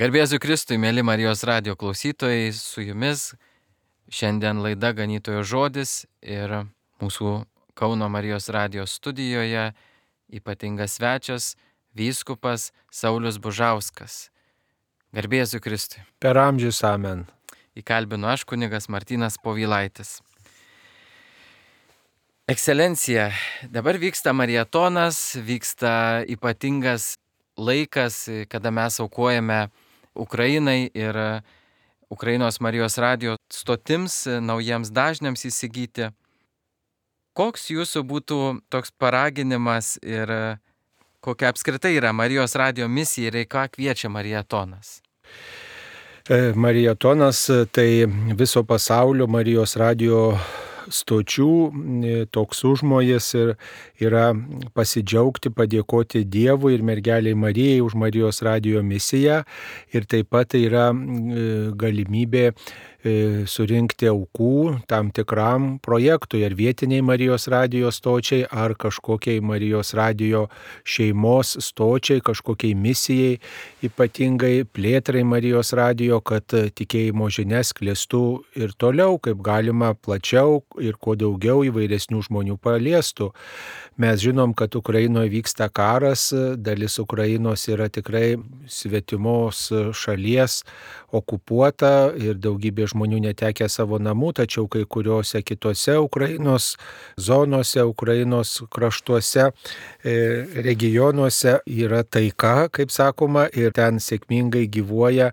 Garbė Jėzui Kristui, mėly Marijos radijo klausytojai, su jumis šiandien laida Ganytojo žodis ir mūsų Kauno Marijos radijo studijoje ypatingas svečias vyskupas Saulius Bužauskas. Garbė Jėzui Kristui. Per amžius amen. Įkalbinu aš, kunigas Martynas Povilaitis. Ekscelencija, dabar vyksta marietonas, vyksta ypatingas laikas, kada mes aukojame Ukrainai ir Ukrainos Marijos radijo stotims, naujiems dažniams įsigyti. Koks jūsų būtų toks paraginimas ir kokia apskritai yra Marijos radijo misija ir į ką kviečia marietonas? Marietonas tai viso pasaulio Marijos radijo stočių toks užmojas ir yra pasidžiaugti, padėkoti Dievui ir mergeliai Marijai už Marijos radijo misiją ir taip pat tai yra galimybė surinkti aukų tam tikram projektui, ar vietiniai Marijos radijo stočiai, ar kažkokiai Marijos radijo šeimos stočiai, kažkokiai misijai, ypatingai plėtrai Marijos radijo, kad tikėjimo žinias sklistų ir toliau, kaip galima plačiau ir kuo daugiau įvairesnių žmonių paliestų. Mes žinom, kad Ukrainoje vyksta karas, dalis Ukrainos yra tikrai svetimos šalies okupuota ir daugybė žmonių netekę savo namų, tačiau kai kuriuose kitose Ukrainos zonose, Ukrainos kraštuose, regionuose yra taika, kaip sakoma, ir ten sėkmingai gyvuoja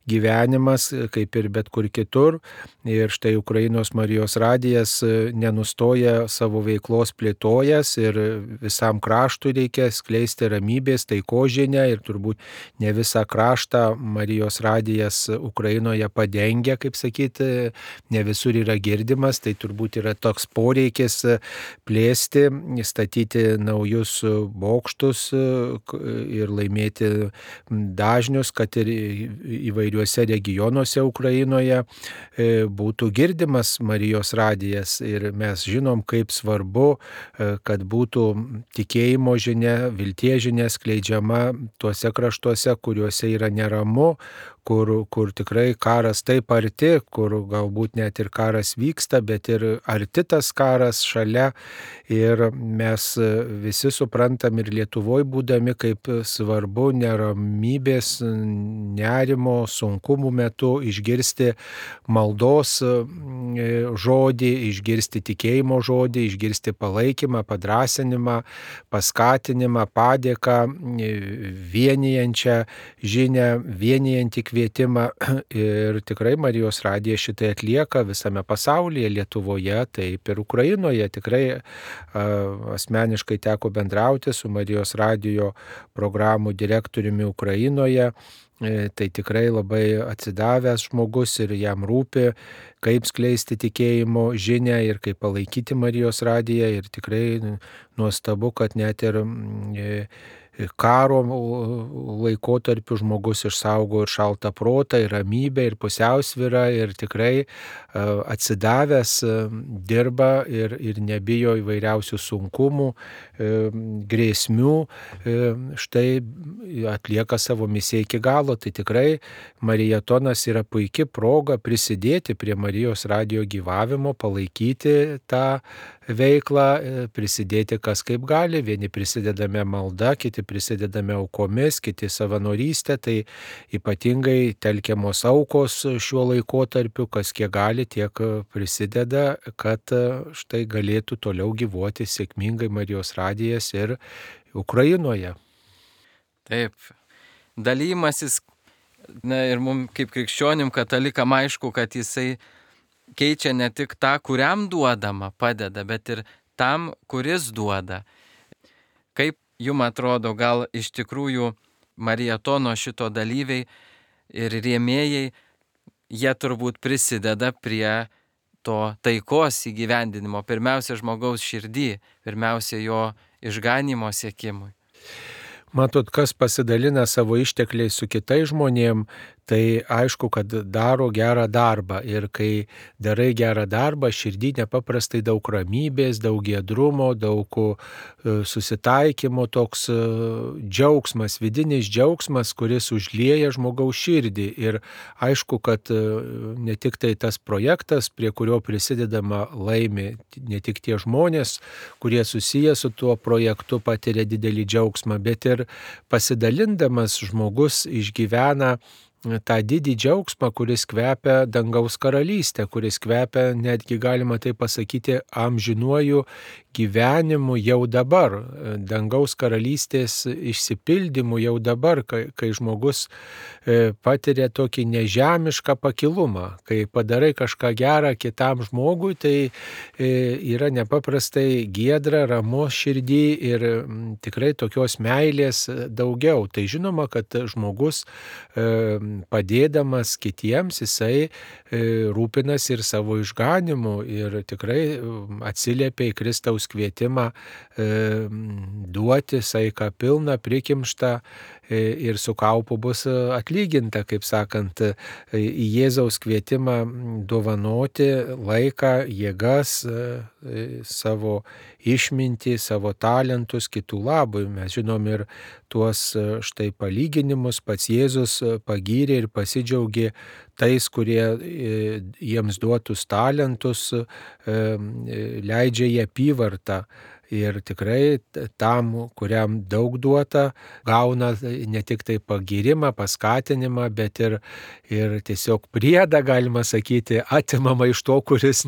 gyvenimas, kaip ir bet kur kitur. Ir štai Ukrainos Marijos radijas nenustoja savo veiklos plėtojas ir visam kraštui reikia skleisti ramybės, taikos žinią ir turbūt ne visą kraštą Marijos radijas Ukrainoje padengia, kaip sakyti, ne visur yra girdimas, tai turbūt yra toks poreikis plėsti, statyti naujus bokštus ir laimėti dažnius, kad ir įvairiuose regionuose Ukrainoje būtų girdimas Marijos radijas. Ir mes žinom, kaip svarbu, kad būtų tikėjimo žinia, vilties žinia skleidžiama tuose kraštuose, kuriuose yra neramu, kur tikrai karas taip arti, kur galbūt net ir karas vyksta, bet ir arti tas karas šalia. Ir mes visi suprantam ir Lietuvoje būdami, kaip svarbu neramybės, nerimo, sunkumų metu išgirsti maldos žodį, išgirsti tikėjimo žodį, išgirsti palaikymą, padrąsinimą, paskatinimą, padėką, vienijančią žinią, vienijantį kvietimą. Ir tikrai Marijos radija šitai atlieka visame pasaulyje, Lietuvoje, taip ir Ukrainoje. Tikrai asmeniškai teko bendrauti su Marijos radijo programų direktoriumi Ukrainoje. Tai tikrai labai atsidavęs žmogus ir jam rūpi, kaip skleisti tikėjimo žinią ir kaip palaikyti Marijos radiją. Ir tikrai nuostabu, kad net ir karo laikotarpiu žmogus išsaugo ir šaltą protą, ir ramybę, ir pusiausvyrą, ir tikrai atsidavęs dirba ir nebijo įvairiausių sunkumų, grėsmių, štai atlieka savo misiją iki galo. Tai tikrai marietonas yra puikia proga prisidėti prie Marijos radijo gyvavimo, palaikyti tą veiklą, prisidėti kas kaip gali. Vieni prisidedame malda, kiti prisidedame aukomis, kiti savanorystė, tai ypatingai telkiamos aukos šiuo laikotarpiu, kas kiek gali, tiek prisideda, kad štai galėtų toliau gyvuoti sėkmingai Marijos radijas ir Ukrainoje. Taip, dalymasis, ir mums kaip krikščionim katalikam aišku, kad jisai keičia ne tik tą, kuriam duodama, padeda, bet ir tam, kuris duoda. Kaip jums atrodo, gal iš tikrųjų marietono šito dalyviai ir rėmėjai, jie turbūt prisideda prie to taikos įgyvendinimo, pirmiausia žmogaus širdį, pirmiausia jo išganymo siekimui. Matot, kas pasidalina savo ištekliais su kitais žmonėm, tai aišku, kad daro gerą darbą. Ir kai darai gerą darbą, širdį nepaprastai daug ramybės, daug giedrumo, daug susitaikymo, toks džiaugsmas, vidinis džiaugsmas, kuris užlieja žmogaus širdį. Ir aišku, kad ne tik tai tas projektas, prie kurio prisidedama, laimi, ne tik tie žmonės, kurie susiję su tuo projektu, patiria didelį džiaugsmą, bet ir pasidalindamas žmogus išgyvena tą didį džiaugsmą, kuris kvepia dangaus karalystę, kuris kvepia, netgi galima tai pasakyti, amžinuoju gyvenimu jau dabar, dangaus karalystės išsipildymu jau dabar, kai žmogus patiria tokį nežemišką pakilumą. Kai padarai kažką gerą kitam žmogui, tai yra nepaprastai giedra, ramu širdį ir tikrai tokios meilės daugiau. Tai žinoma, kad žmogus padėdamas kitiems, jisai rūpinasi ir savo išganimu ir tikrai atsiliepia į Kristaus kvietimą duoti saiką pilną, prikimštą ir su kaupu bus atlyginta, kaip sakant, į Jėzaus kvietimą dovanoti laiką, jėgas, savo išmintį, savo talentus kitų labui. Mes žinom ir tuos štai palyginimus, pats Jėzus pagyrė ir pasidžiaugė tais, kurie jiems duotus talentus leidžia į apyvartą. Ir tikrai tam, kuriam daug duota, gauna ne tik tai pagyrimą, paskatinimą, bet ir tiesiog priedą, galima sakyti, atimama iš to, kuris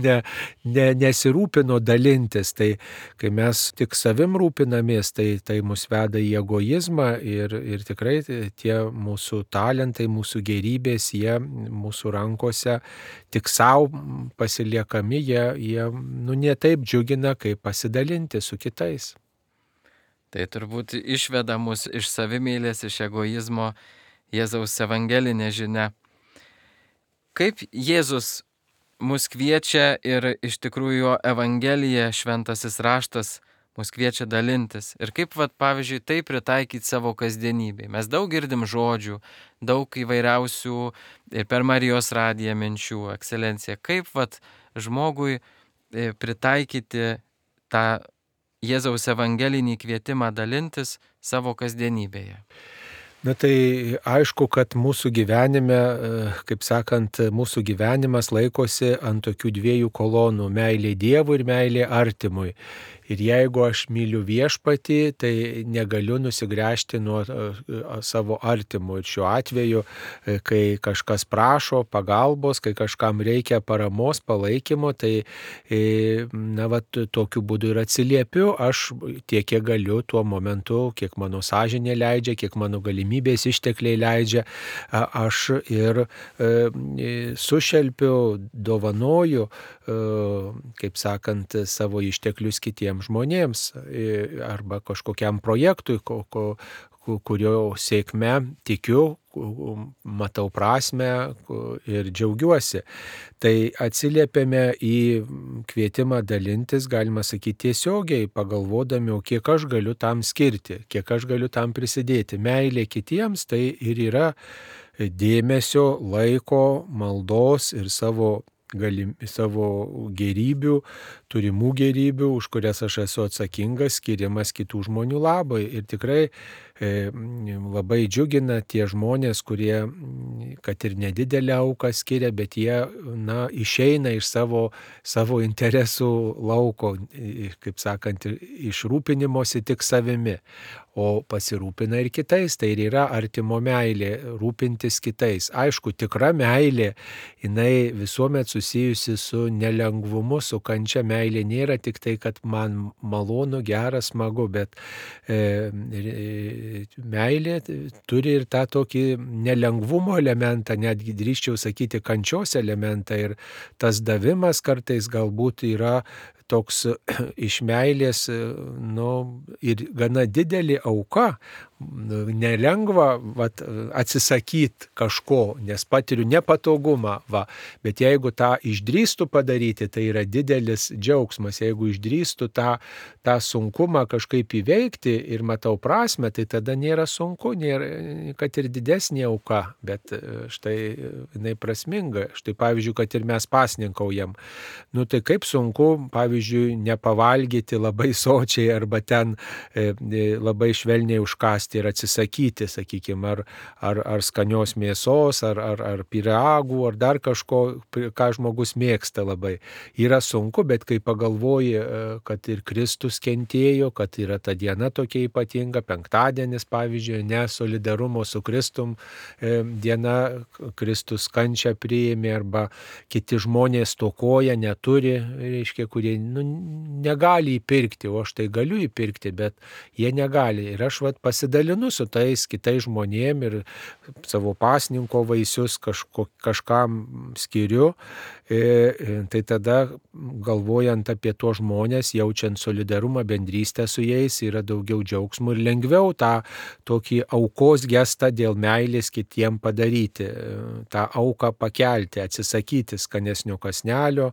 nesirūpino dalintis. Tai kai mes tik savim rūpinamės, tai mus veda į egoizmą ir tikrai tie mūsų talentai, mūsų gerybės, jie mūsų rankose tik savo pasiliekami, jie ne taip džiugina, kaip pasidalinti su kitais. Tai turbūt išveda mus iš savimėlės, iš egoizmo Jėzaus evangelinė žinia. Kaip Jėzus mus kviečia ir iš tikrųjų jo evangelija, šventasis raštas, mus kviečia dalintis. Ir kaip, pavyzdžiui, tai pritaikyti savo kasdienybėj. Mes daug girdim žodžių, daug įvairiausių ir per Marijos radiją minčių, ekscelencija. Kaip žmogui pritaikyti tą Jėzaus evangelinį kvietimą dalintis savo kasdienybėje? Na tai aišku, kad mūsų gyvenime, kaip sakant, mūsų gyvenimas laikosi ant tokių dviejų kolonų - meilė Dievui ir meilė artimui. Ir jeigu aš myliu viešpatį, tai negaliu nusigręžti nuo savo artimų. Ir šiuo atveju, kai kažkas prašo pagalbos, kai kažkam reikia paramos, palaikymo, tai tokiu būdu ir atsiliepiu aš tiek, kiek galiu tuo momentu, kiek mano sąžinė leidžia, kiek mano galimybės ištekliai leidžia, aš ir sušelpiu, dovanoju, kaip sakant, savo išteklius kitiems žmonėms arba kažkokiam projektui, kurio sėkme tikiu, matau prasmę ir džiaugiuosi. Tai atsiliepiame į kvietimą dalintis, galima sakyti, tiesiogiai, pagalvodami, o kiek aš galiu tam skirti, kiek aš galiu tam prisidėti. Meilė kitiems tai ir yra dėmesio, laiko, maldos ir savo gerybių, turimų gerybių, už kurias aš esu atsakingas, skiriamas kitų žmonių labai. Ir tikrai labai džiugina tie žmonės, kurie, kad ir nedidelę auką skiria, bet jie išeina iš savo interesų lauko, kaip sakant, iš rūpinimosi tik savimi, o pasirūpina ir kitais. Tai ir yra artimo meilė, rūpintis kitais. Aišku, tikra meilė, jinai visuomet susijusi su nelengvumu, su kančia. Meilė nėra tik tai, kad man malonu, gera, smagu, bet meilė turi ir tą tokį nelengvumo elementą, netgi drįsčiau sakyti kančios elementą, ir tas davimas kartais galbūt yra toks iš meilės, ir gana didelė auka. Nelengva atsisakyti kažko, nes patiriu nepatogumą, bet jeigu tą išdrįstu padaryti, tai yra didelis džiaugsmas. Jeigu išdrįstu tą sunkumą kažkaip įveikti ir matau prasme, tai tada nėra sunku, nėra, kad ir didesnė auka, bet štai jinai prasminga. Štai pavyzdžiui, kad ir mes pasninkaujam. Tai kaip sunku, pavyzdžiui, nepavalgyti labai sočiai arba ten labai švelniai užkasti ir atsisakyti, sakykime, ar skanios mėsos, ar pyragų, ar dar kažko, ką žmogus mėgsta labai. Yra sunku, bet kai pagalvoji, kad ir Kristus kentėjo, kad yra ta diena tokia ypatinga, penktadienis, pavyzdžiui, solidarumo su Kristum diena, Kristus kančią priėmė, arba kiti žmonės stokoja, neturi, reiškia, kurie negali įpirkti, o aš tai galiu įpirkti, bet jie negali. Ir aš pasidalinu su tais kitais žmonėm ir savo pasninko vaisius kažkam skiriu. Tai tada, galvojant apie tuos žmonės, jaučiant solidarumą, bendrystę su jais, yra daugiau džiaugsmų ir lengviau tą tokį aukos gestą dėl meilės kitiem padaryti, tą auką pakelti, atsisakyti skanesnio kąsnelio,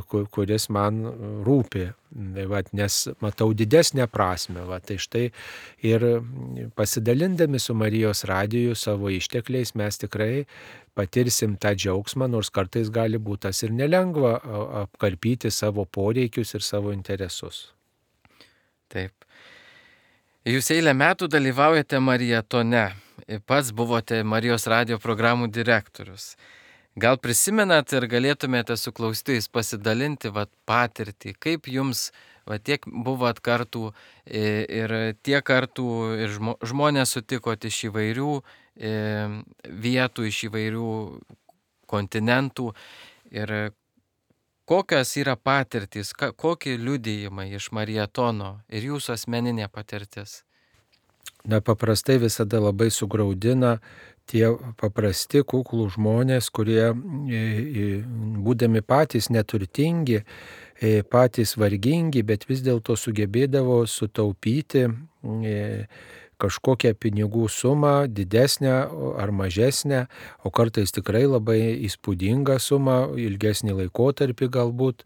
kuris man rūpi. Nes matau didesnę prasme. Tai štai ir pasidalindami su Marijos radiju savo ištekliais mes tikrai patirsim tą džiaugsmą, nors kartais gali būti tas ir nelengva apkarpyti savo poreikius ir savo interesus. Taip. Jūs eilę metų dalyvaujate maratone. Pats buvote Marijos radijo programų direktorius. Gal prisimenat ir galėtumėte su klausytojais pasidalinti patirtį, kaip jums tiek buvot kartų ir tiek kartų ir žmonės sutikot iš įvairių vietų, iš įvairių kontinentų ir kokios yra patirtys, kokie liudijimai iš maratono ir jūsų asmeninė patirtis? Paprastai visada labai sugraudina tie paprasti, kuklų žmonės, kurie, būdami patys neturtingi, patys vargingi, bet vis dėlto sugebėdavo sutaupyti kažkokią pinigų sumą, didesnę ar mažesnę, o kartais tikrai labai įspūdingą sumą, ilgesnį laikotarpį galbūt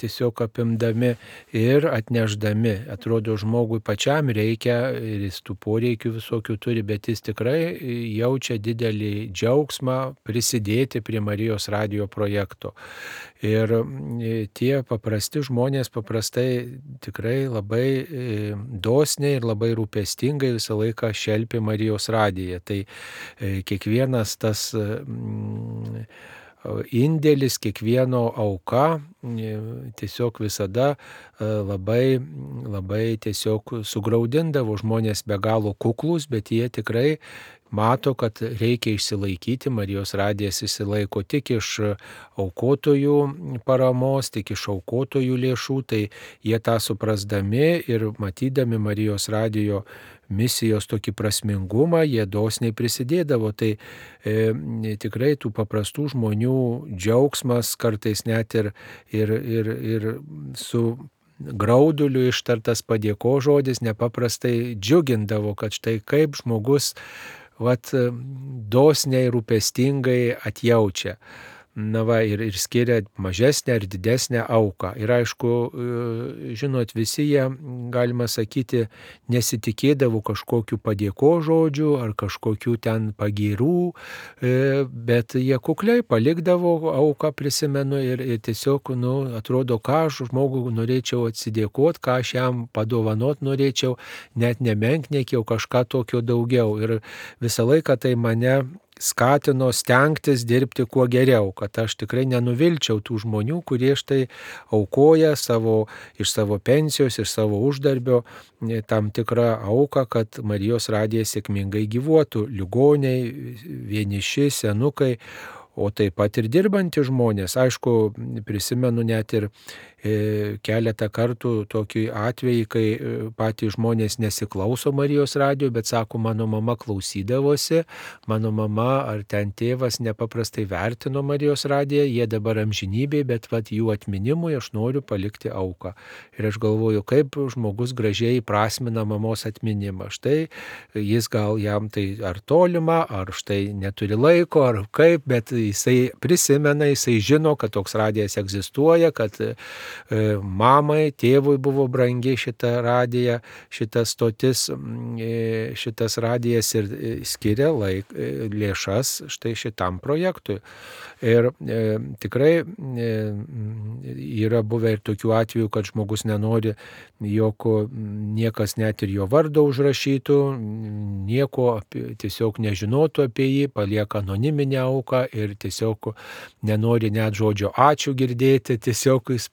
tiesiog apimdami ir atnešdami. Atrodo, žmogui pačiam reikia ir jis tų poreikių visokių turi, bet jis tikrai jaučia didelį džiaugsmą prisidėti prie Marijos radijo projekto. Ir tie paprasti žmonės paprastai tikrai labai dosniai ir labai rūpestingai visą laiką šelpia Marijos radiją. Tai kiekvienas tas indėlis, kiekvieno auka tiesiog visada labai, labai tiesiog sugraudindavo. Žmonės be galo kuklus, bet jie tikrai mato, kad reikia išsilaikyti. Marijos radijas išsilaiko tik iš aukotojų paramos, tik iš aukotojų lėšų, tai jie tą suprasdami ir matydami Marijos radijo misijos tokį prasmingumą, jie dosniai prisidėdavo. Tai tikrai tų paprastų žmonių džiaugsmas, kartais net ir su grauduliu ištartas padėkos žodis nepaprastai džiugindavo, kad štai kaip žmogus dosniai, rūpestingai atjaučia. Ir skiria mažesnę ar didesnę auką. Ir aišku, žinot, visi jie, galima sakyti, nesitikėdavo kažkokių padėkos žodžių ar kažkokių ten pagyrų, bet jie kukliai palikdavo auką, prisimenu, ir tiesiog, atrodo, ką aš žmogui norėčiau atsidėkoti, ką aš jam padovanot norėčiau, net nemenkniekiau kažką tokio daugiau. Ir visą laiką tai mane skatino stengtis dirbti kuo geriau, kad aš tikrai nenuvilčiau tų žmonių, kurie štai aukoja iš savo pensijos, iš savo uždarbio tam tikrą auką, kad Marijos radijas sėkmingai gyvuotų. Ligoniai, vieniši, senukai, o taip pat ir dirbantys žmonės. Aišku, prisimenu net ir keletą kartų tokį atvejį, kai patys žmonės nesiklauso Marijos radijo, bet sako, mano mama klausydavosi, mano mama ar ten tėvas nepaprastai vertino Marijos radiją, jie dabar amžinybėje, bet jų atminimui aš noriu palikti auką. Ir aš galvoju, kaip žmogus gražiai prasmina mamos atminimą. Štai jis gal jam tai ar tolima, ar štai neturi laiko, ar kaip, bet jisai prisimena, jisai žino, kad toks radijas egzistuoja, kad mamai, tėvui buvo brangi šita radija, šitas stotis, šitas radijas ir skiria lėšas štai šitam projektui. Ir tikrai yra buvę ir tokių atvejų, kad žmogus nenori, jog niekas net ir jo vardą užrašytų, nieko tiesiog nežinotų apie jį, palieka anoniminę auką ir tiesiog nenori net žodžio ačiū girdėti, tiesiog jis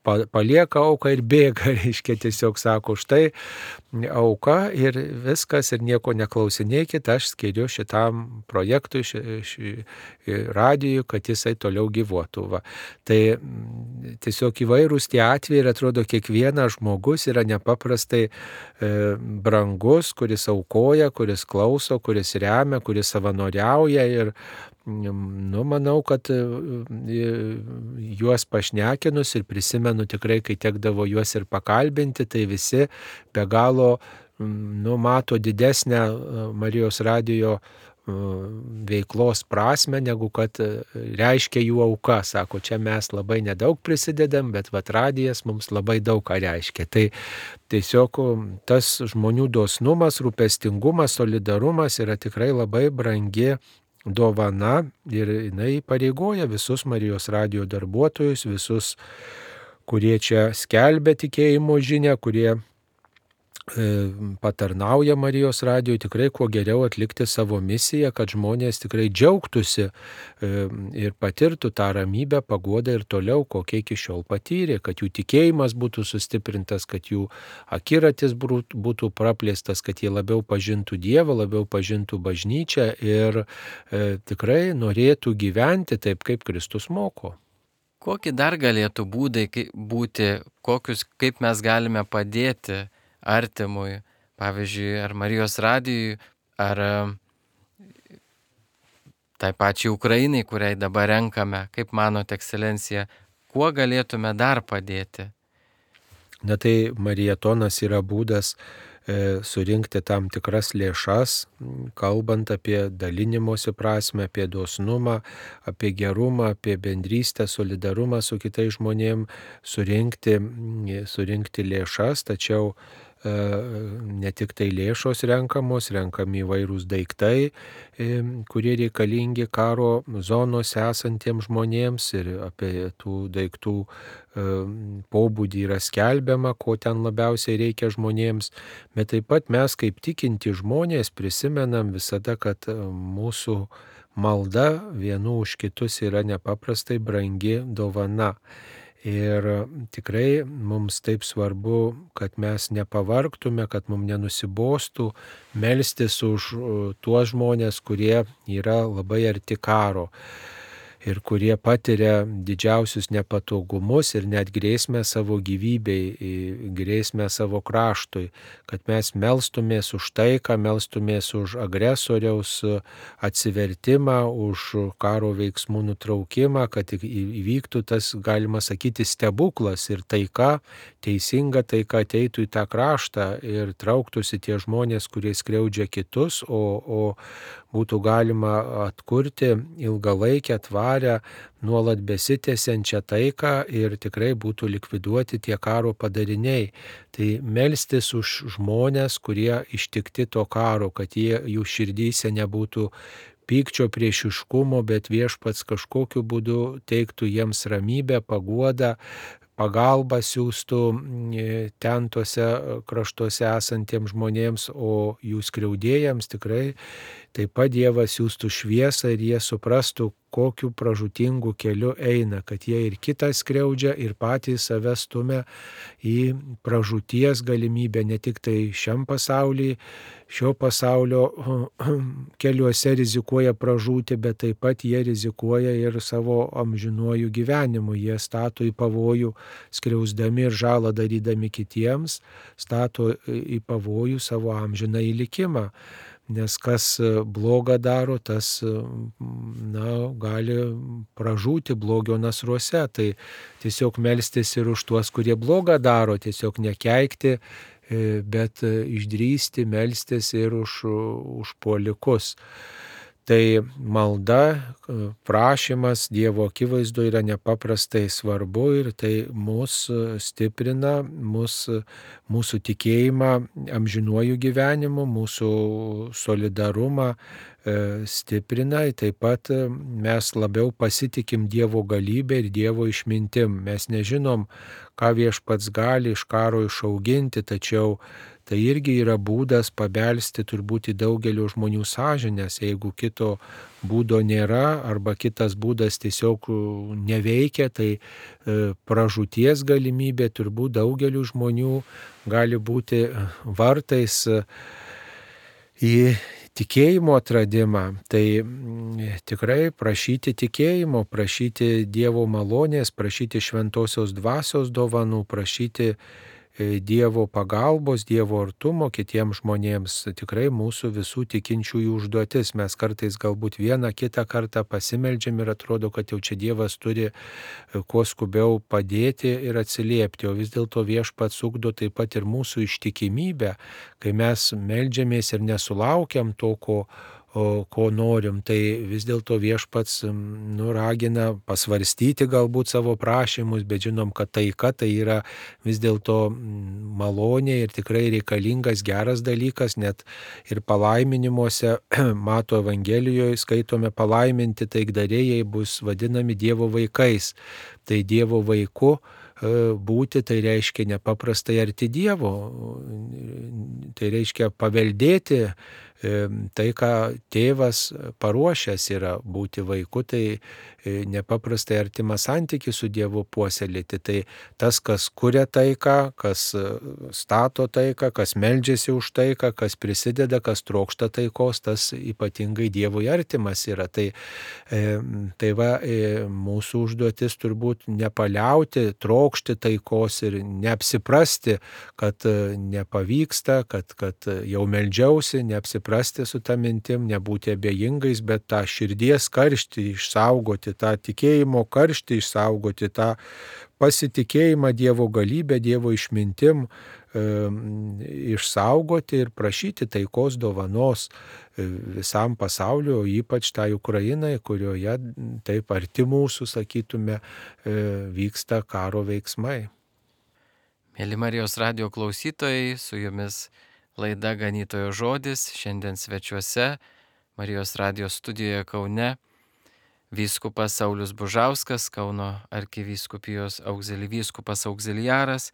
palieka auką ir bėga, reiškia, tiesiog sako, štai auka ir viskas ir nieko neklausinėkit, aš skiriu šitam projektui, radijui, kad jisai toliau gyvuotų. Va. Tai tiesiog įvairūs tie atvejai ir atrodo, kiekvienas žmogus yra nepaprastai brangus, kuris aukoja, kuris klauso, kuris remia, kuris savanoriauja ir manau, kad juos pašnekinus ir prisimenu tikrai, kai tekdavo juos ir pakalbinti, tai visi be galo mato didesnę Marijos radijo veiklos prasme, negu kad reiškia jų auka. Sako, čia mes labai nedaug prisidedam, bet radijas mums labai daug ką reiškia. Tai tiesiog tas žmonių dosnumas, rūpestingumas, solidarumas yra tikrai labai brangi dovana ir jinai pareigoja visus Marijos radijo darbuotojus, visus, kurie čia skelbia tikėjimo žinią, kurie patarnauja Marijos radijui, tikrai kuo geriau atlikti savo misiją, kad žmonės tikrai džiaugtųsi ir patirtų tą ramybę, paguodą ir toliau, kokie iki šiol patyrė, kad jų tikėjimas būtų sustiprintas, kad jų akiratis būtų praplėstas, kad jie labiau pažintų Dievą, labiau pažintų bažnyčią ir tikrai norėtų gyventi taip, kaip Kristus moko. Kokie dar galėtų būdai būti, kaip mes galime padėti artimui, pavyzdžiui, ar Marijos radijui, ar tai pačiai Ukrainai, kuriai dabar renkame, kaip manote, ekscelencija, kuo galėtume dar padėti? Na tai marietonas yra būdas surinkti tam tikras lėšas, kalbant apie dalinimosi prasme, apie dosnumą, apie gerumą, apie bendrystę, solidarumą su kitais žmonėmis, surinkti lėšas, tačiau ne tik tai lėšos renkami įvairūs daiktai, kurie reikalingi karo zonose esantiems žmonėms ir apie tų daiktų pobūdį yra skelbiama, ko ten labiausiai reikia žmonėms, bet taip pat mes kaip tikinti žmonės prisimenam visada, kad mūsų malda vienų už kitus yra nepaprastai brangi dovana. Ir tikrai mums taip svarbu, kad mes nepavargtume, kad mums nenusibostų melstis už tuos žmonės, kurie yra labai arti karo ir kurie patiria didžiausius nepatogumus ir net grėsmę savo gyvybei, grėsmę savo kraštui, kad mes melstumės už taiką, melstumės už agresoriaus atsivertimą, už karo veiksmų nutraukimą, kad įvyktų tas, galima sakyti, stebuklas ir taika, teisinga taika ateitų į tą kraštą ir trauktųsi tie žmonės, kurie skriaudžia kitus, o būtų galima atkurti ilgalaikę, tvarę, nuolat besitęsiančią taiką ir tikrai būtų likviduoti tie karo padariniai. Tai melstis už žmonės, kurie ištikti to karo, kad jų širdyse nebūtų pykčio, priešiškumo, bet viešpats kažkokiu būdu teiktų jiems ramybę, paguodą, pagalbą siūstų ten tose kraštuose esantiems žmonėms, o jų skriaudėjams tikrai taip pat Dievas siūstų šviesą ir jie suprastų, kokiu pražūtingu keliu eina, kad jie ir kitą skriaudžia, ir patys save stumia į pražūties galimybę, ne tik tai šiam pasaulyje, šio pasaulio keliuose rizikuoja pražūti, bet taip pat jie rizikuoja ir savo amžinuoju gyvenimu. Jie stato į pavojų, skriausdami ir žalą darydami kitiems, stato į pavojų savo amžinąjį likimą. Nes kas blogą daro, tas gali pražūti blogio nasruose. Tai tiesiog melstis ir už tuos, kurie blogą daro, tiesiog nekeikti, bet išdrįsti melstis ir už puolikus. Tai malda, prašymas Dievo akivaizdoje yra nepaprastai svarbu ir tai mus stiprina, mūsų tikėjimą amžinuoju gyvenimu, mūsų solidarumą stiprina. Taip pat mes labiau pasitikim Dievo galybę ir Dievo išmintim. Mes nežinom, ką Viešpats gali iš karo išauginti, tačiau tai irgi yra būdas pabelsti turbūt į daugelio žmonių sąžinės. Jeigu kito būdo nėra arba kitas būdas tiesiog neveikia, tai pražūties galimybė turbūt daugelių žmonių gali būti vartais į tikėjimo atradimą. Tai tikrai prašyti tikėjimo, prašyti Dievo malonės, prašyti šventosios dvasios dovanų, prašyti Dievo pagalbos, Dievo artumo kitiems žmonėms. Tikrai mūsų visų tikinčiųjų užduotis. Mes kartais galbūt vieną kitą kartą pasimeldžiam ir atrodo, kad jau čia Dievas turi kuo skubiau padėti ir atsiliepti. O vis dėlto Viešpats ugdo taip pat ir mūsų ištikimybę, kai mes meldžiamės ir nesulaukiam to, ko norim, tai vis dėlto Viešpats ragina pasvarstyti galbūt savo prašymus, bet žinom, kad taika tai yra vis dėlto malonė ir tikrai reikalingas geras dalykas, net ir palaiminimuose Mato Evangelijoje skaitome, palaiminti taikdarėjai bus vadinami Dievo vaikais. Tai Dievo vaiku būti, tai reiškia nepaprastai arti Dievo, tai reiškia paveldėti tai, ką tėvas paruošęs yra būti vaiku, tai nepaprastai artimą santykį su Dievu puoselėti. Tai tas, kas kuria taiką, kas stato taiką, kas meldžiasi už taiką, kas prisideda, kas trokšta taikos, tas ypatingai Dievui artimas yra. Tai mūsų užduotis turbūt nepaliauti, trokšti taikos ir neapsiprasti, kad nepavyksta, kad jau meldžiausi, neapsiprasti su ta mintim, nebūti abejingais, bet tą širdies karštį išsaugoti, tą tikėjimo karštį išsaugoti, tą pasitikėjimą Dievo galybę, Dievo išmintim išsaugoti ir prašyti taikos dovanos visam pasauliu, o ypač tai Ukrainai, kurioje taip arti mūsų, sakytume, vyksta karo veiksmai. Mėly Marijos radijo klausytojai, su jumis laida Ganytojo žodis. Šiandien svečiuose Marijos radijo studijoje Kaune vyskupas Saulius Bužauskas, Kauno arkivyskupijos vyskupas auxiliaras,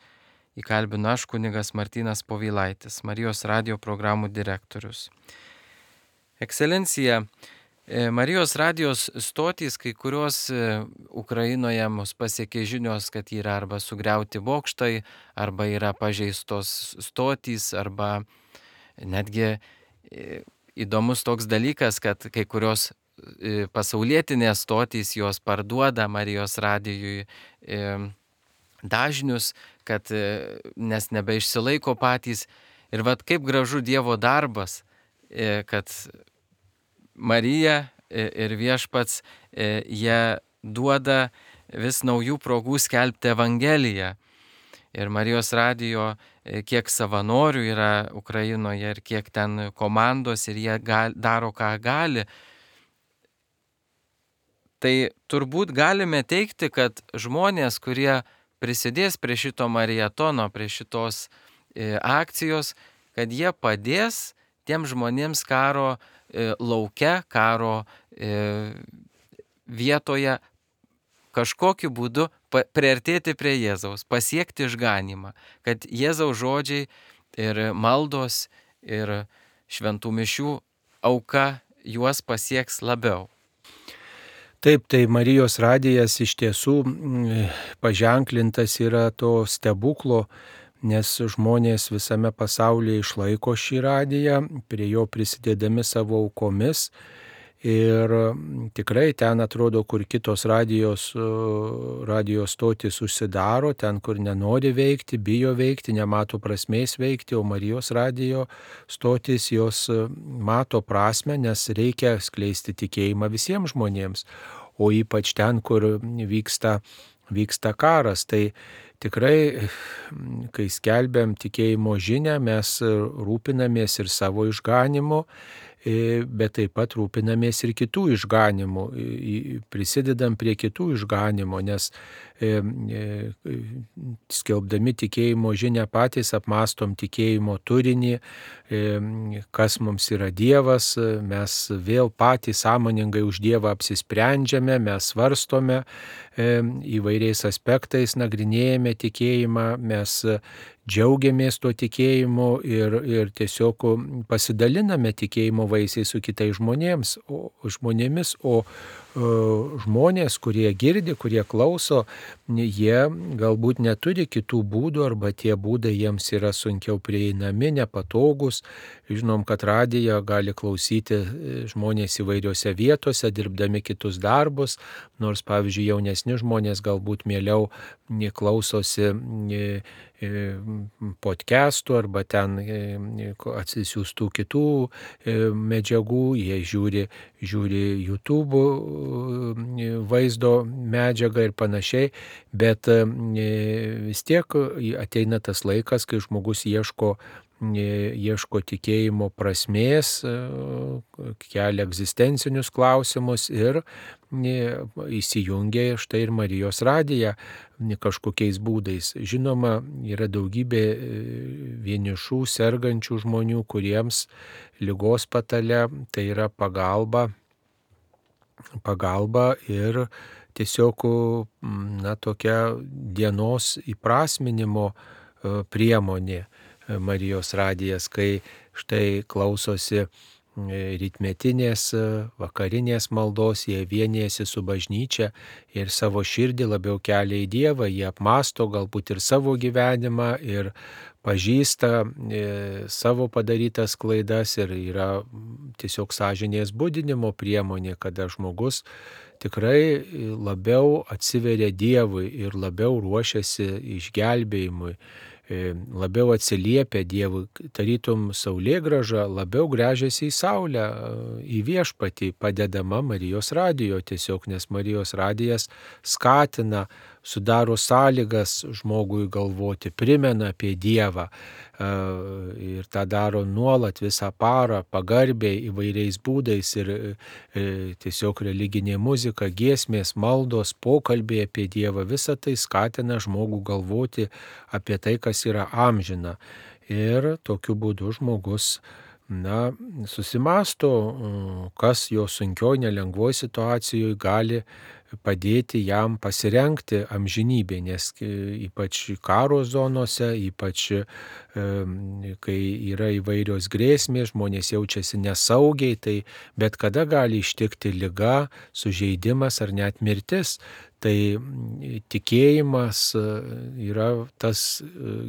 įkalbinu aš kunigas Martynas Povilaitis, Marijos radijo programų direktorius. Ekscelencija, Marijos radijos stotys, kai kurios Ukrainoje mus pasiekė žinios, kad yra arba sugriauti bokštai, arba yra pažeistos stotys, arba netgi įdomus toks dalykas, kad kai kurios pasaulietinės stotys jos parduoda Marijos radijui dažnius, kad nes nebeišsilaiko patys. Ir vat kaip gražu Dievo darbas, kad Marija ir Viešpats jie duoda vis naujų progų skelbti Evangeliją. Ir Marijos radijo kiek savanorių yra Ukrainoje ir kiek ten komandos ir jie daro ką gali. Tai turbūt galime teikti, kad žmonės, kurie prisidės prie šito mariatono, prie šitos akcijos, kad jie padės tiem žmonėms karo lauke, karo vietoje kažkokiu būdu priartėti prie Jėzaus, pasiekti išganymą, kad Jėzaus žodžiai ir maldos ir šventų mišių auka juos pasieks labiau. Taip, tai Marijos radijas iš tiesų paženklintas yra to stebuklo, nes žmonės visame pasaulyje išlaiko šį radiją, prie jo prisidėdami savo aukomis. Ir tikrai ten atrodo, kur kitos radijos stotis užsidaro, ten, kur nenori veikti, bijo veikti, nemato prasmės veikti, o Marijos radijo stotis jos mato prasme, nes reikia skleisti tikėjimą visiems žmonėms, o ypač ten, kur vyksta karas. Tai tikrai, kai skelbiam tikėjimo žinią, mes rūpinamės ir savo išganimu, bet taip pat rūpinamės ir kitų išganimų, prisidedam prie kitų išganimo, nes skelbdami tikėjimo žinią patys apmastom tikėjimo turinį, kas mums yra Dievas, mes vėl patys sąmoningai už Dievą apsisprendžiame, mes svarstome įvairiais aspektais, nagrinėjame tikėjimą, mes džiaugiamės tuo tikėjimu ir tiesiog pasidaliname tikėjimo vaisiais su kitais žmonėmis, o žmonės, kurie girdi, kurie klauso, jie galbūt neturi kitų būdų arba tie būdai jiems yra sunkiau prieinami, nepatogus. Žinom, kad radiją gali klausyti žmonės įvairiose vietose, dirbdami kitus darbus, nors, pavyzdžiui, jaunesni žmonės galbūt mieliau klausosi podcastų arba ten atsisiųstų kitų medžiagų, jie žiūri YouTube vaizdo medžiagą ir panašiai, bet vis tiek ateina tas laikas, kai žmogus ieško tikėjimo prasmės, kelia egzistencinius klausimus ir įsijungia štai ir Marijos radiją kažkokiais būdais. Žinoma, yra daugybė vienišų, sergančių žmonių, kuriems ligos patale tai yra pagalba ir tiesiog tokia dienos įprasminimo priemonė. Marijos radijas, kai štai klausosi rytmetinės, vakarinės maldos, jie vienijasi su bažnyčia ir savo širdį labiau kelia į Dievą, jie apmąsto galbūt ir savo gyvenimą ir pažįsta savo padarytas klaidas ir yra tiesiog sąžinės budinimo priemonė, kada žmogus tikrai labiau atsiveria Dievui ir labiau ruošiasi išgelbėjimui, labiau atsiliepia Dievui, tarytum saulėgrąža labiau gręžiasi į saulę, į viešpatį, padedama Marijos radijo tiesiog, nes Marijos radijas skatina, sudaro sąlygas žmogui galvoti, primena apie Dievą ir tą daro nuolat visą parą, pagarbiai įvairiais būdais ir tiesiog religinė muzika, giesmės, maldos, pokalbiai apie Dievą, visa tai skatina žmogų galvoti apie tai, kas yra amžina. Ir tokiu būdu žmogus susimąsto, kas jo sunkioj, nelengvoj situacijoje gali padėti jam pasirengti amžinybė, nes ypač karo zonose, ypač kai yra įvairios grėsmės, žmonės jaučiasi nesaugiai, tai bet kada gali ištikti liga, sužeidimas ar net mirtis. Tai tikėjimas yra tas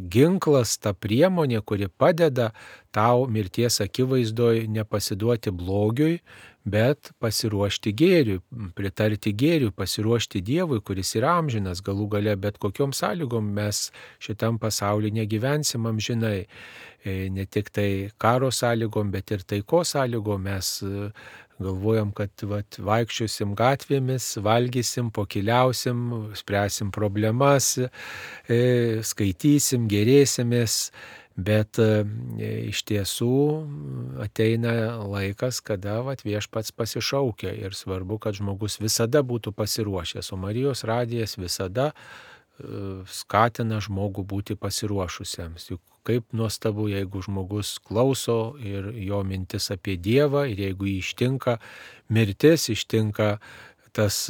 ginklas, ta priemonė, kuri padeda tau mirties akivaizdoje nepasiduoti blogiui, bet pasiruošti gėriui, pritarti gėriui, pasiruošti Dievui, kuris yra amžinas, galų gale bet kokiom sąlygom mes šitam pasaulyje negyvensim amžinai. Ne tik tai karo sąlygom, bet ir taikos sąlygom mes galvojam, kad vaikščiosim gatvėmis, valgysim, pokiliausim, spręsim problemas, skaitysim, gerėsimės. Bet iš tiesų ateina laikas, kada viešpats pasišaukia ir svarbu, kad žmogus visada būtų pasiruošęs, o Marijos radijas visada skatina žmogų būti pasiruošusiems. Juk kaip nuostabu, jeigu žmogus klauso ir jo mintis apie Dievą ir jeigu jį ištinka mirtis, ištinka tas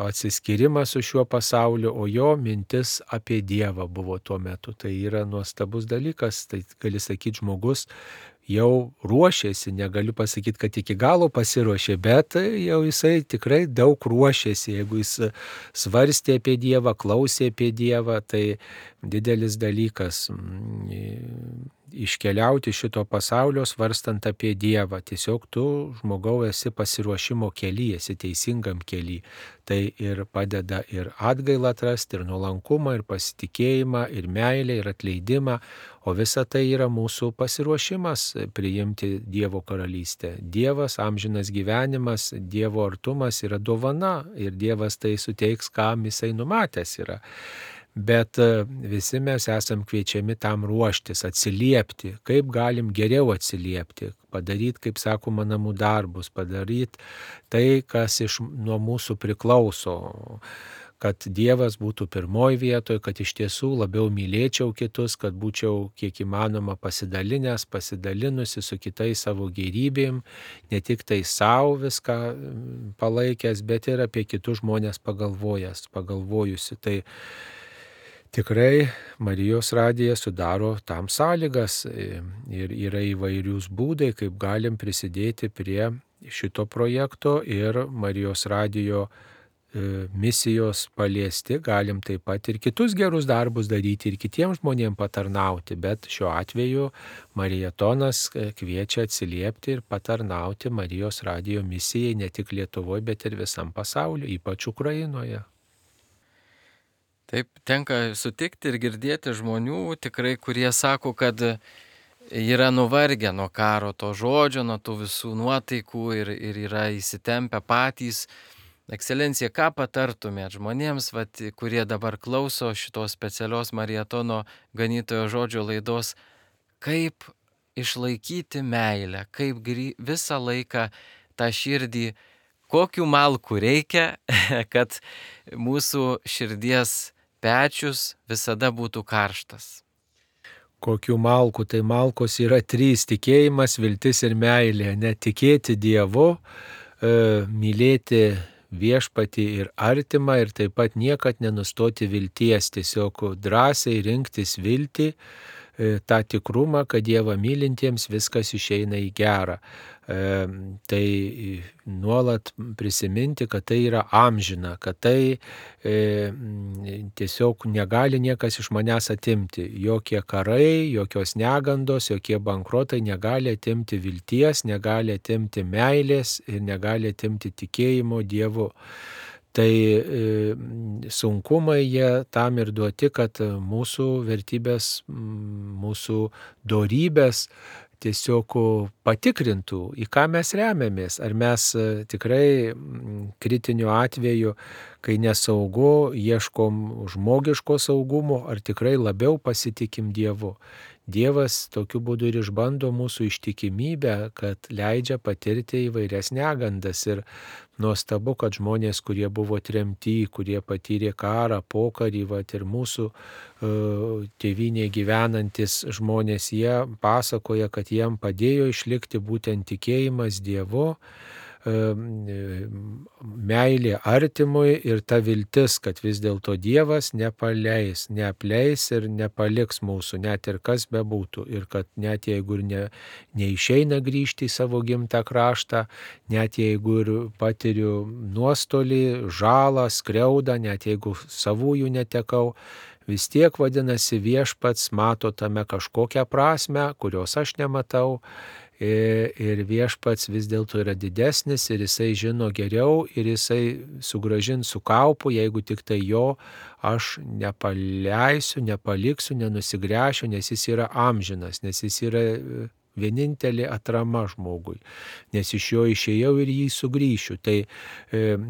atsiskyrimas su šiuo pasauliu, o jo mintis apie Dievą buvo tuo metu. Tai yra nuostabus dalykas, tai gali sakyti, žmogus jau ruošėsi, negaliu pasakyti, kad iki galo pasiruošė, bet jau jisai tikrai daug ruošėsi. Jeigu jis svarstė apie Dievą, klausė apie Dievą, tai didelis dalykas iškeliauti šito pasaulio svarstant apie Dievą. Tiesiog tu, žmogau, esi pasiruošimo kely, esi teisingam kely. Tai ir padeda ir atgailą atrasti, ir nuolankumą, ir pasitikėjimą, ir meilę, ir atleidimą. O visa tai yra mūsų pasiruošimas priimti Dievo karalystę. Dievas, amžinas gyvenimas, Dievo artumas yra dovana ir Dievas tai suteiks, kam jisai numatęs yra. Bet visi mes esam kviečiami tam ruoštis, atsiliepti, kaip galim geriau atsiliepti, padaryti, kaip sakoma, namų darbus, padaryti tai, kas nuo mūsų priklauso, kad Dievas būtų pirmoji vietoje, kad iš tiesų labiau mylėčiau kitus, kad būčiau kiek įmanoma pasidalinusi su kitais savo gėrybėm, ne tik tai savo viską palaikęs, bet ir apie kitus žmonės pagalvojusi. Tai tikrai Marijos radijas sudaro tam sąlygas ir yra įvairius būdai, kaip galim prisidėti prie šito projekto ir Marijos radijo misijos paliesti, galim taip pat ir kitus gerus darbus daryti ir kitiems žmonėms patarnauti, bet šiuo atveju Marietonas kviečia atsiliepti ir patarnauti Marijos radijo misijai ne tik Lietuvoje, bet ir visam pasauliu, ypač Ukrainoje. Taip, tenka sutikti ir girdėti žmonių tikrai, kurie sako, kad yra nuvargę nuo karo, to žodžio, nuo tų visų nuotaikų ir yra įsitempę patys. Ekscelencija, ką patartumėt žmonėms, kurie dabar klauso šitos specialios Marietono ganytojo žodžio laidos, kaip išlaikyti meilę, kaip visą laiką tą širdį, kokių malkų reikia, kad mūsų širdies pečius visada būtų karštas. Kokių malkų? Tai malkos yra 3 - tikėjimas, viltis ir meilė. Netikėti Dievu, mylėti viešpatį ir artimą ir taip pat niekad nenustoti vilties. Tiesiog drąsiai rinktis viltį, tą tikrumą, kad Dievą mylintiems viskas išeina į gerą. Tai nuolat prisiminti, kad tai yra amžina, kad tai tiesiog negali niekas iš manęs atimti. Jokie karai, jokios negandos, jokie bankrotai negali atimti vilties, negali atimti meilės ir negali atimti tikėjimo Dievu. Tai sunkumai jie tam ir duoti, kad mūsų vertybės, mūsų dorybės tiesiog patikrintų, į ką mes remiamės. Ar mes tikrai kritiniu atveju, kai nesaugu, ieškom žmogiško saugumo, ar tikrai labiau pasitikim Dievu. Dievas tokiu būdu ir išbando mūsų ištikimybę, kad leidžia patirti įvairias negandas. Ir nuostabu, kad žmonės, kurie buvo tremti, kurie patyrė karą, pokarį, ir mūsų tėvynėje gyvenantis žmonės, jie pasakoja, kad jiem padėjo išlikti būtent tikėjimas Dievu, meilė artimui ir ta viltis, kad vis dėlto Dievas neapleis ir nepaliks mūsų, net ir kas bebūtų. Ir kad net jeigu ir neišeina grįžti į savo gimtą kraštą, net jeigu ir patiriu nuostolį, žalą, skriaudą, net jeigu savųjų netekau, vis tiek vadinasi viešpats mato tame kažkokią prasmę, kurios aš nematau. Ir viešpats vis dėlto yra didesnis ir jisai žino geriau ir jisai sugrąžins su kaupu, jeigu tik tai jo aš nepaleisiu, nepaliksiu, nenusigręšiu, nes jis yra amžinas, nes jis yra vienintelė atrama žmogui, nes iš jo išėjau ir jį sugrįšiu. Tai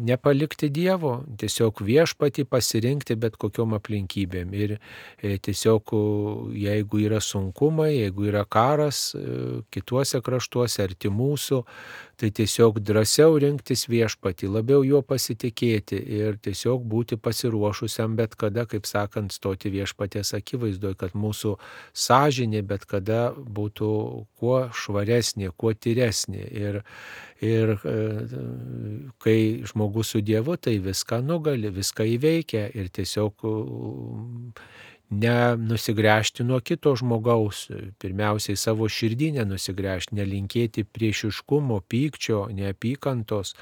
nepalikti Dievo, tiesiog viešpatį pasirinkti bet kokiom aplinkybėm. Ir tiesiog jeigu yra sunkumai, jeigu yra karas kituose kraštuose arti mūsų, tai tiesiog drąsiau rinktis viešpatį, labiau juo pasitikėti ir tiesiog būti pasiruošusiam bet kada, kaip sakant, stoti viešpaties akivaizdoje, kad mūsų sąžinė bet kada būtų kuo švaresnė, kuo tyresnė. Ir kai žmogus su Dievu, tai viską nugali, viską įveikia ir tiesiog nenusigręžti nuo kito žmogaus, pirmiausiai savo širdį nenusigręžti, nelinkėti priešiškumo, pykčio, neapykantos,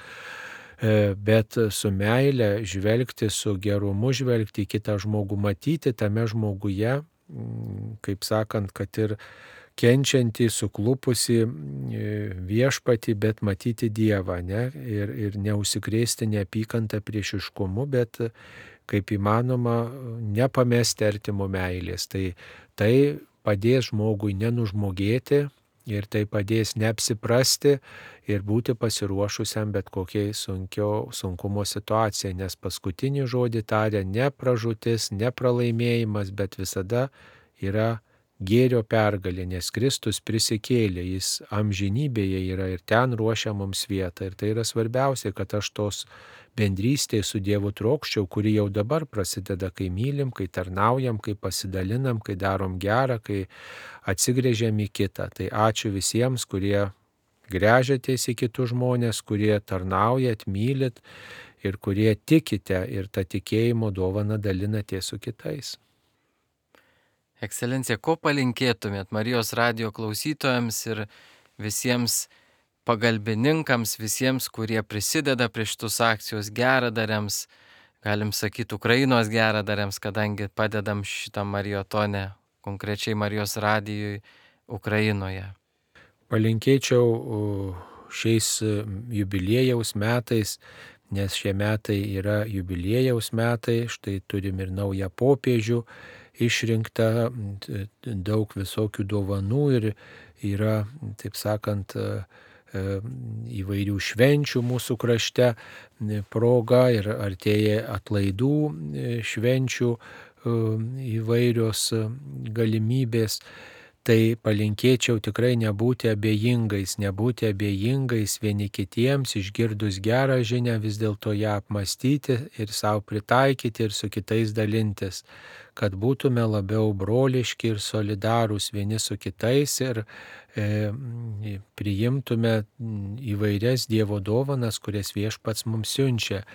bet su meile žvelgti, su gerumu žvelgti į kitą žmogų, matyti tame žmoguje, kaip sakant, kad ir kenčiantį, suklupusi viešpatį, bet matyti Dievą, ne? Ir neužsikrėsti neapykantą priešiškumu, bet kaip įmanoma nepamesti artimo meilės. Tai padės žmogui nenužmogėti ir tai padės neapsiprasti ir būti pasiruošusiam bet kokiai sunkumo situacijai, nes paskutinį žodį taria ne pražūtis, ne pralaimėjimas, bet visada yra gėrio pergalė, nes Kristus prisikėlė, jis amžinybėje yra ir ten ruošia mums vietą. Ir tai yra svarbiausia, kad aš tos bendrystėje su Dievu trokščiau, kuri jau dabar prasideda, kai mylim, kai tarnaujam, kai pasidalinam, kai darom gerą, kai atsigręžiam į kitą. Tai ačiū visiems, kurie gręžiatės į kitus žmonės, kurie tarnaujat, mylit ir kurie tikite ir tą tikėjimo dovaną dalinatės su kitais. Ekscelencija, ko palinkėtumėt Marijos radijo klausytojams ir visiems pagalbininkams, visiems, kurie prisideda prie šitos akcijos geradariams, galim sakyti Ukrainos geradariams, kadangi padedam šitam marijotone, konkrečiai Marijos radijui Ukrainoje? Palinkėčiau šiais jubiliejaus metais, nes šie metai yra jubiliejaus metai, štai turim ir naują popiežių, išrinkta daug visokių dovanų ir yra, taip sakant, įvairių švenčių mūsų krašte proga ir artėja atlaidų švenčių įvairios galimybės. Tai palinkėčiau tikrai nebūti abejingais vieni kitiems, išgirdus gerą žinią, vis dėlto ją apmastyti ir savo pritaikyti ir su kitais dalintis, kad būtume labiau broliški ir solidarūs vieni su kitais ir priimtume įvairias Dievo dovanas, kurias Viešpats mums siunčia.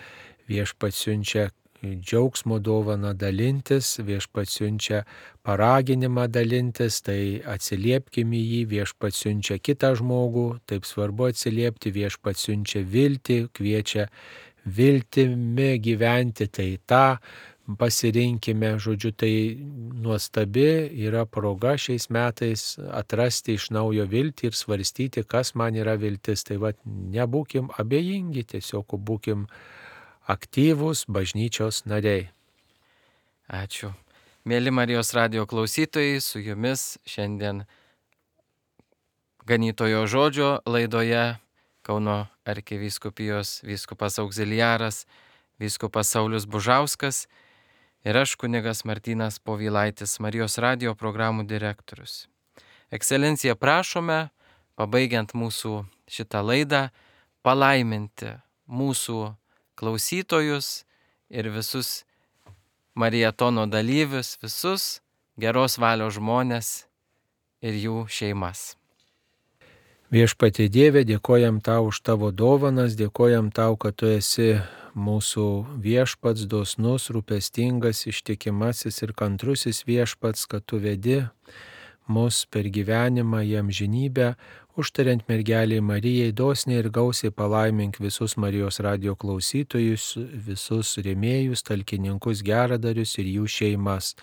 Viešpats siunčia džiaugsmo dovaną dalintis, Viešpats siunčia paraginimą dalintis, tai atsiliepkime į jį, Viešpats siunčia kitą žmogų, taip svarbu atsiliepti, Viešpats siunčia viltį, kviečia viltimi gyventi, tai tą pasirinkime, žodžiu, tai nuostabi yra proga šiais metais atrasti iš naujo viltį ir svarstyti, kas man yra viltis. Tai nebūkim abejingi, tiesiog būkim aktyvūs bažnyčios nariai. Ačiū. Mėly Marijos radijo klausytojai, su jumis šiandien Ganytojo žodžio laidoje Kauno arkivyskupijos vyskupas auxiliaras, vyskupas Saulius Bužauskas ir aš kunigas Martynas Povilaitis, Marijos radijo programų direktorius. Ekscelencija, prašome, pabaigiant mūsų šitą laidą, palaiminti mūsų klausytojus ir visus Marijatono dalyvius, visus geros valios žmonės ir jų šeimas. Viešpatie Dieve, dėkojam Tau už Tavo dovanas, dėkojam Tau, kad Tu esi mūsų viešpats, dosnus, rūpestingas, ištikimasis ir kantrusis viešpats, kad Tu vedi mus per gyvenimą į amžinybę, užtariant mergeliai Marijai, dosniai ir gausiai palaimink visus Marijos radijo klausytojus, visus rėmėjus, talkininkus, geradarius ir jų šeimas,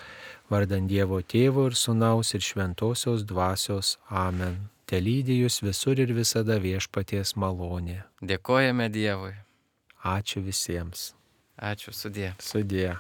vardan Dievo Tėvo ir Sūnaus ir Šventosios Dvasios. Amen. Telydi jus visur ir visada Viešpaties malonė. Dėkojame Dievui. Ačiū visiems. Ačiū, sudie. Sudie.